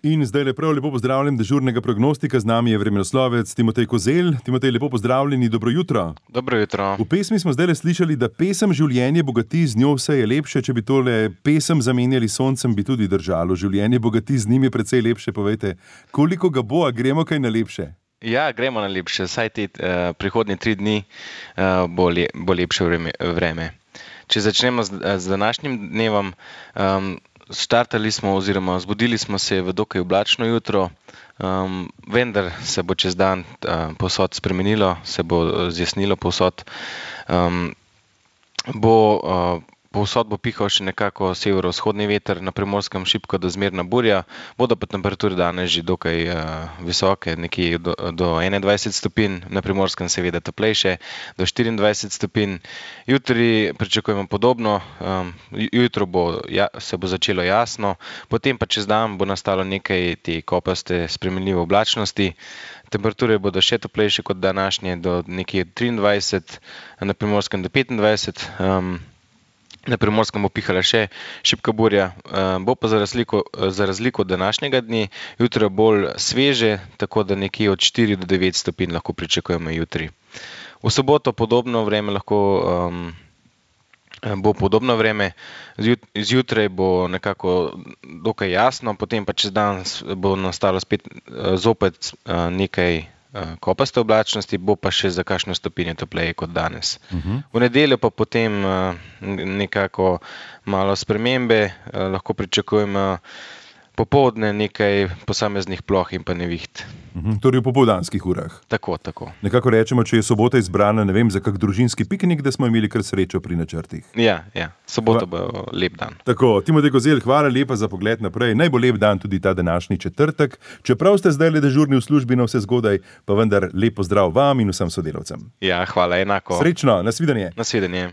In zdaj lepo pozdravljam dežurnega prognostika, z nami je vremenoslovec Timotej Kozelj. Timotej, lepo pozdravljeni, dobro jutro. Dobro jutro. V pesmi smo zdaj slišali, da pesem življenje bogati, z njo vse je lepše. Če bi tole pesem zamenjali s soncem, bi tudi držalo. Življenje bogati, z njim je precej lepše. Povejte, koliko ga bo, a gremo kaj na lepše? Ja, gremo na lepše. Vsaj te prihodnje 3 dni bo lepše vreme. Če začnemo z današnjim dnevom, startali smo oziroma zbudili smo se v dokaj oblačno jutro, vendar se bo čez dan povsod spremenilo, se bo zjasnilo povsod. Povsod bo pihal še nekako severovzhodni veter, na Primorskem šibko do zmerna burja, bodo pa temperature danes že dokaj visoke, nekje do 21 stopinj, na Primorskem seveda toplejše, do 24 stopinj. Jutri pričakujemo podobno, jutro se bo začelo jasno, potem pa čez dan bo nastalo nekaj te kopaste spremenljive oblačnosti. Temperature bodo še toplejše kot današnje, do nekje 23, na Primorskem do 25. Na Primorskem bo pihala še šibka burja, bo pa za razliko od današnjega dne jutro bolj sveže, tako da nekje od 4 do 9 stopinj lahko pričakujemo jutri. V soboto podobno vreme bo podobno vreme, zjutraj bo nekako dokaj jasno, potem pa čez dan bo nastalo spet zopet nekaj kopaste oblačnosti, bo pa še za kakšno stopinjo topleje kot danes. V nedeljo pa potem nekako malo spremembe, lahko pričakujemo popoldne nekaj posameznih ploh in pa neviht. Torej v popoldanskih urah. Tako. Nekako rečemo, če je sobota izbrana, ne vem, za kak družinski piknik, da smo imeli kar srečo pri načrtih. Ja, sobota bo lep dan. Tako, Timotej Kozelj, hvala lepa za pogled naprej. Naj bo lep dan tudi ta današnji četrtek. Čeprav ste zdaj le dežurni v službi na vse zgodaj, pa vendar lep pozdrav vam in vsem sodelavcem. Ja, hvala, enako. Srečno, nasvidenje. Nasvidenje.